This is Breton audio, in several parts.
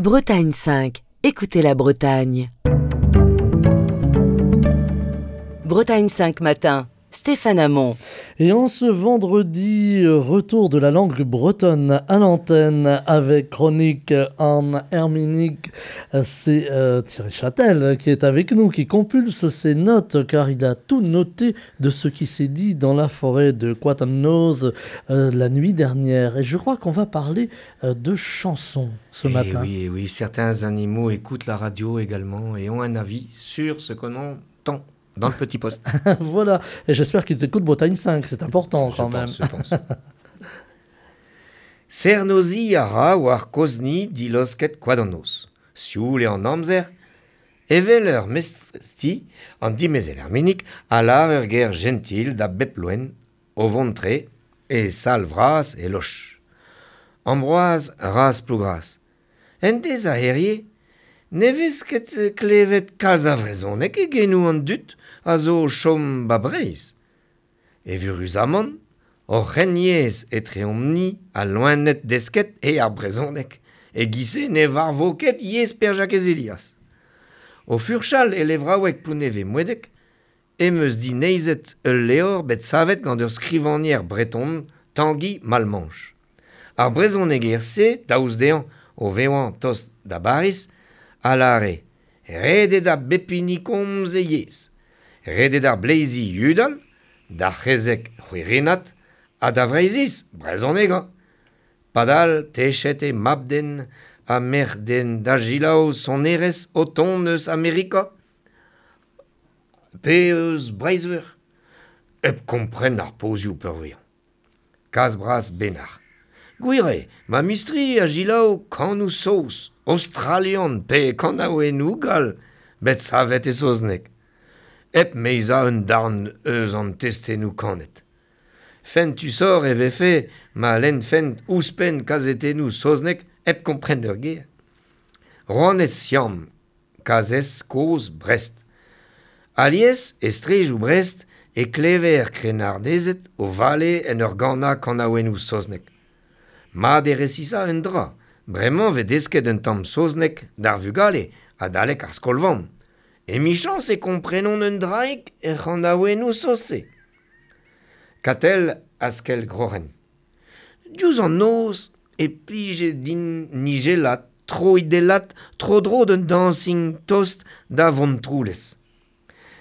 Bretagne 5, écoutez la Bretagne. Bretagne 5 matin, Stéphane Hamon. Et en ce vendredi, retour de la langue bretonne à l'antenne avec chronique en Herminique. C'est Thierry Châtel qui est avec nous, qui compulse ses notes car il a tout noté de ce qui s'est dit dans la forêt de Quatamnose la nuit dernière. Et je crois qu'on va parler de chansons ce matin. Oui, oui, certains animaux écoutent la radio également et ont un avis sur ce qu'on entend dans le petit poste. Voilà, et j'espère qu'ils écoutent Bretagne 5, c'est important quand même. Je pense. Sernozi a ra war kozni dilosket koadannoz. Sioul eo an amzer, evel ur mestrti, an dimezel Herminik, a lar ur ger gentil da bep loen, o vont-tre, e sal vras e loch. Ambroise raz plougras. En dez a herie, ne vez ket klevet kalz a vrezhoneg e genoù an dud a zo chom ba Breizh. Evuruzamant, hor c'henyezh etreomp-ni a loened desket e ar brezhoneg, e giz-se ne varvo ket yezh Per-Jakez Elias. O furchal e levraoueg Plounevez-Moedeg, em eus dineizet ul levr bet savet gant ur skrivagner breton, Tangi Malmanche. Ar brezhoneger-se, daoust dezhañ o vevañ tost da Bariz, a lâre ret eo da bep hini komz e yezh, ret eo d'ar bleizi yudal, d'ar c'hezeg c'hwirinat ha da Vreizhiz brezhonegañ. Padal techet eo mab-den ha merc'h-den da selaou sonerezh o tont eus Amerika pe eus Breizh-Veur, hep kompren ar pozioù peurvuiañ. Kas bras Benac'h. Gwir eo, ma mistri a selaou kanoù saoz, aostralian pe kanaouennoù gall bet savet e saozneg, hep meizañ un darn eus an testennoù kanet. Fentusoc'h e vefe ma lennfent ouzhpenn kazetennoù saoznek hep kompren ur ger. Rouanez Siam, kazhez kozh Brest. Alies, e strejoù Brest, e klever krennardezed o vale en ur ganañ kanaouennoù saoznek. Mat eo resisañ un dra, bremañ vez desket un tamm saozneg d'ar vugale adalek ar skol-vamm. Emichañs e komprenont un draig er c'hanaouennoù saoz-se. Katell askell groc'hen. Diouzh an noz e plije din nijellat, troidellat tro-dro d'un dañsing tost da Vontroulez.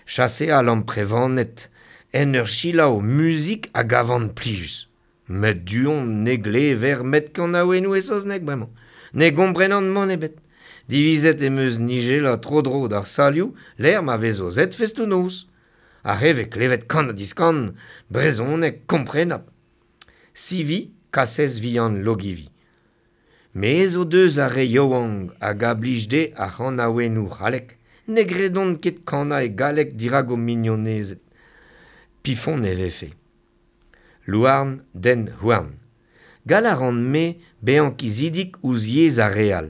Chaseal amprevaned en ur selaou muzik a gavan plijus. Met du-hont ne glever met kanaouennoù e saozneg bremañ. Ne gomprenan mann ebet. Divizet em eus nijellañ tro-dro d'ar salioù lec'h ma vez aozet festoù-noz. Ar re vez klevet kan-ha-diskan, brezhoneg komprenapl. Sivi, kasez vihan Logivi. Mezh o deus ar re yaouank hag a blij dezhe ar c'hanaouennoù c'hallek, ne gredont ket kanañ e galleg dirak o mignonezed. Pifon e vefe. Louarn, den houarn. Gall a ran-me bezañ kizidik ouzh yezh ar re all.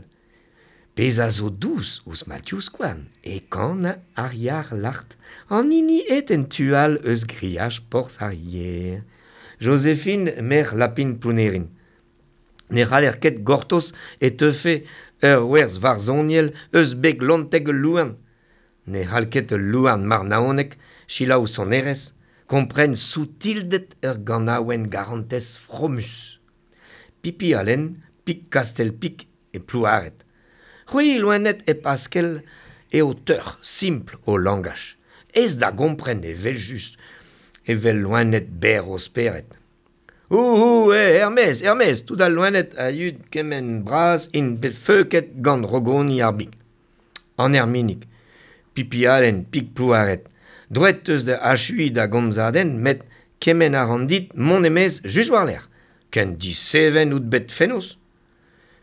Pezh a zo dous ouzh ma divskouarn e kan ar yar lart, an hini aet en tu all eus griaj porzh ar yer. Joséphine merc'h Lapin Plounerin. Ne c'haller ket gortoz e teufe ur werz varzhoniel eus beg lonteg ul louarn. Ne c'hall ket ul louarn marnaonek selaou sonerezh, kompren soutilded ur ganaouenn garantez fromus. Pipi Allen, pik Kastell Pik e Plouared. C'hwi loened hep askell eo teuc'h simpl ho langaj. Aes da gompren evel-just, evel loened berr o spered. Ouhou, eh, er-maez, er-maez, tout al loened a yud kement bras int bet feuket gant rogoni ar big. An Erminig, Pipi Allen, pik Plouared. Droet eus da achuiñ da gomzadenn met kement a ran dit mont e-maez just war-lerc'h. Ken diseven out bet fenoz.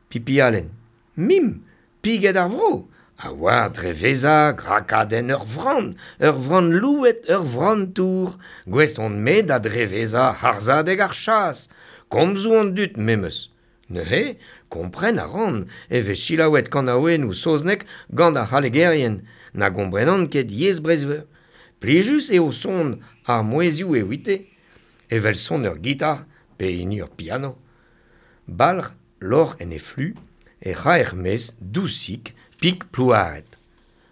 Pipi Allen, mim, piged ar vro, a oar drevezañ grakadenn ur vran, ur vran louet, ur vran tour. Gouest on-me da drevezañ harzhadeg ar chas, komzoù an dud memes. Neuze, kompren a ran e vez selaouet kanaouennoù saoznek gant ar c'hallegerien, na gomprenan ket yezh Breizh-Veur. Plijus eo son ar mouezhioù evite, evel son ur gitar pe hini ur piano. Balc'h lorc'h en he flu, E c'haer mez dousik pik plouaret.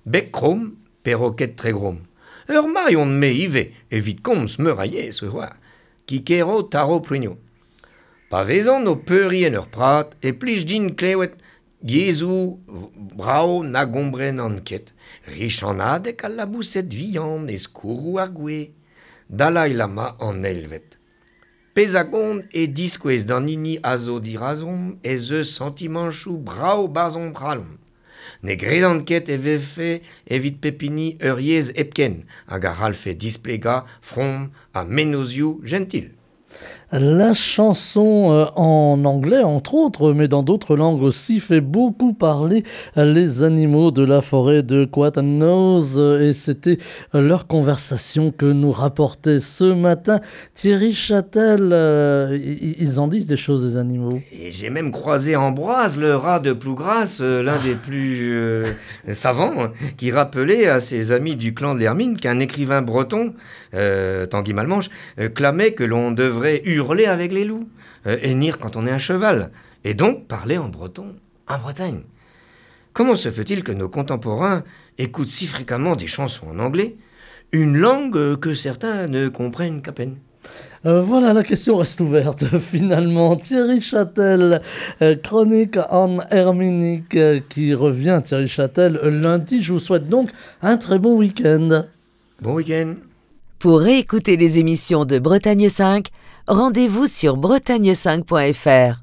Bek krom, perroquet tregrom. Ur mailh on me ivez evit komz meur a yezh oa. Kikero taro plugno. Pa vezan o peuriñ en ur prat e plij din klewet yezhoù brav na gombrenan ket, richanadeg al laboused vihan e skourroù ar gwez, Dalai Lama an eilvet. Pezh a gont e diskouez d'an hini a zo dirazomp ez eus santimanchoù brav 'barzh hon c'halon. Ne gredan ket e vefe evit pep hini ur yezh hepken hag a c'hallfe displegañ from ha mennozhioù jentil. La chanson en anglais, entre autres, mais dans d'autres langues aussi, fait beaucoup parler les animaux de la forêt de Koad an Noz. Et c'était leur conversation que nous rapportait ce matin Thierry Châtel. Ils en disent des choses, les animaux. Et j'ai même croisé Ambroise, le rat de Plougras, l'un des plus savants, hein, qui rappelait à ses amis du clan de l'Hermine qu'un écrivain breton, Tanguy Malmanche, clamait que l'on devrait hurler avec les loups, hennir quand on est un cheval, et donc parler en breton en Bretagne. Comment se fait-il que nos contemporains écoutent si fréquemment des chansons en anglais, une langue que certains ne comprennent qu'à peine ? Voilà, la question reste ouverte finalement. Thierry Châtel, chronique en Herminique qui revient, Thierry Châtel, lundi. Je vous souhaite donc un très bon week-end. Bon week-end. Pour réécouter les émissions de Bretagne 5, rendez-vous sur bretagne5.fr.